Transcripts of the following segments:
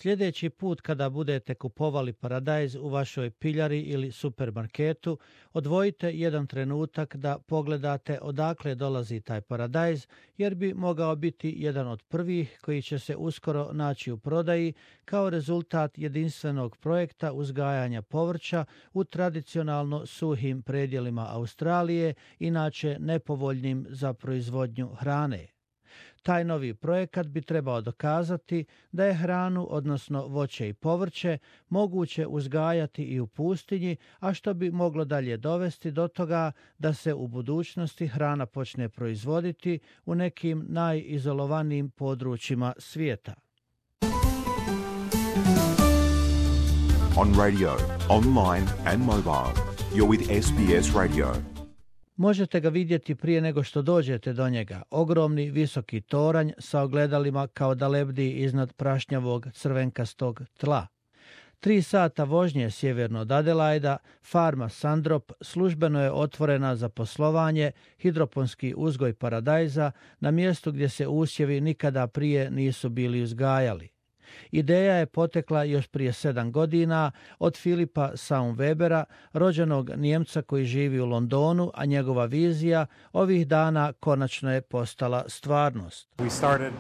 Sljedeći put kada budete kupovali paradajz u vašoj piljari ili supermarketu, odvojite jedan trenutak da pogledate odakle dolazi taj paradajz, jer bi mogao biti jedan od prvih koji će se uskoro naći u prodaji kao rezultat jedinstvenog projekta uzgajanja povrća u tradicionalno suhim predjelima Australije, inače nepovoljnim za proizvodnju hrane. Taj novi projekat bi trebao dokazati da je hranu, odnosno voće i povrće, moguće uzgajati i u pustinji, a što bi moglo dalje dovesti do toga da se u budućnosti hrana počne proizvoditi u nekim najizolovanijim područjima svijeta. On radio, online and mobile, you're with SBS Radio. Možete ga vidjeti prije nego što dođete do njega. Ogromni visoki toranj sa ogledalima kao da lebdi iznad prašnjavog crvenkastog tla. 3 sata vožnje sjeverno od Adelaida, farma Sandrop službeno je otvorena za poslovanje, hidroponski uzgoj paradajza na mjestu gdje se usjevi nikada prije nisu bili uzgajali. Ideja je potekla još prije 7 godina od Filipa Saumwebera, rođenog Nijemca koji živi u Londonu, a njegova vizija ovih dana konačno je postala stvarnost. We started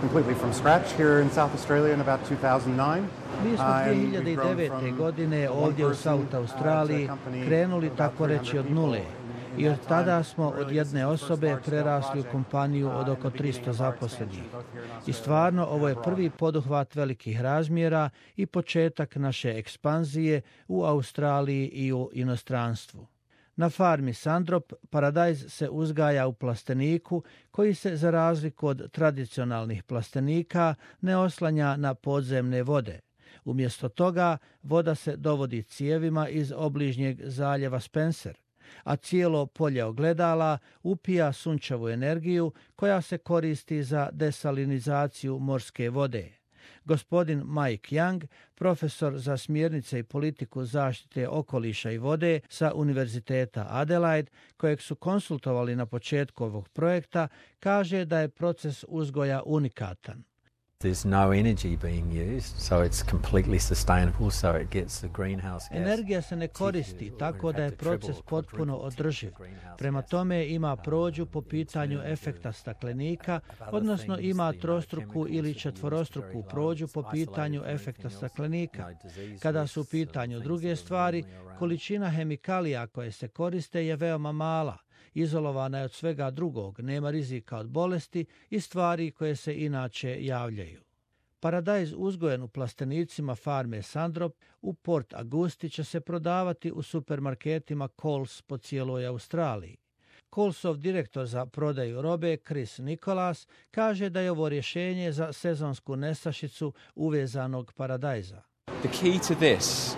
completely from scratch here in South Australia in about 2009. Mi smo 2009. godine ovdje u South Australiji krenuli tako reći od nule. I od tada smo od jedne osobe prerasli u kompaniju od oko 300 zaposlenih. I stvarno ovo je prvi poduhvat velikih razmjera i početak naše ekspanzije u Australiji i u inostranstvu. Na farmi Sandrop paradajz se uzgaja u plasteniku koji se za razliku od tradicionalnih plastenika ne oslanja na podzemne vode. Umjesto toga voda se dovodi cijevima iz obližnjeg zaljeva Spencer, a cijelo polje ogledala upija sunčevu energiju koja se koristi za desalinizaciju morske vode. Gospodin Mike Young, profesor za smjernice i politiku zaštite okoliša i vode sa Univerziteta Adelaide, kojeg su konsultovali na početku ovog projekta, kaže da je proces uzgoja unikatan. There's no energy being used, so it's completely sustainable, so it gets the greenhouse gas. Energija se ne koristi, tako da je proces potpuno održiv. Prema tome ima prođu po pitanju efekta staklenika, odnosno ima trostruku ili četvorostruku prođu po pitanju efekta staklenika. Kada su u pitanju druge stvari, količina hemikalija koje se koriste je veoma mala. Izolovana je od svega drugog, nema rizika od bolesti i stvari koje se inače javljaju. Paradajz uzgojen u plastenicima farme Sandrop u Port Augusti će se prodavati u supermarketima Coles po cijeloj Australiji. Colesov direktor za prodaju robe Chris Nicholas kaže da je ovo rješenje za sezonsku nestašicu uvezanog paradajza. The key to this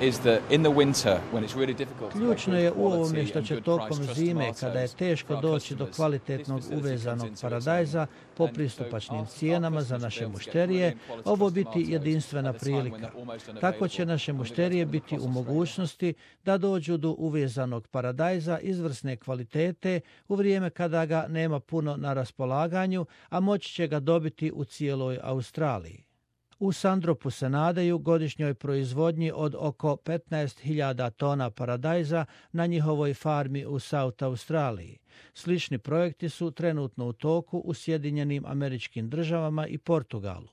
is that in the winter when it's really difficult. Ključno je u ovome što će tokom zime, kada je teško doći do kvalitetnog uvezanog paradajza po pristupačnim cijenama za naše mušterije, ovo biti jedinstvena prilika. Tako će naše mušterije biti u mogućnosti da dođu do uvezanog paradajza izvrsne kvalitete u vrijeme kada ga nema puno na raspolaganju, a moći će ga dobiti u cijeloj Australiji. U Sandropu se nadaju godišnjoj proizvodnji od oko 15.000 tona paradajza na njihovoj farmi u South Australiji. Slični projekti su trenutno u toku u Sjedinjenim Američkim Državama i Portugalu.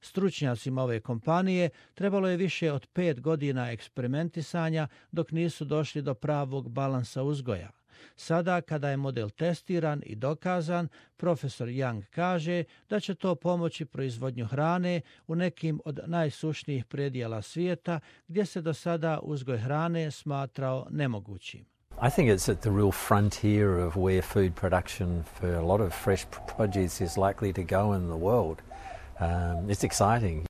Stručnjacima ove kompanije trebalo je više od 5 godina eksperimentisanja dok nisu došli do pravog balansa uzgoja. Sada, kada je model testiran i dokazan, profesor Young kaže da će to pomoći proizvodnju hrane u nekim od najsušnijih predjela svijeta gdje se do sada uzgoj hrane smatrao nemogućim. I think it's at the real frontier of where food production for a lot of fresh produce is likely to go in the world. It's exciting.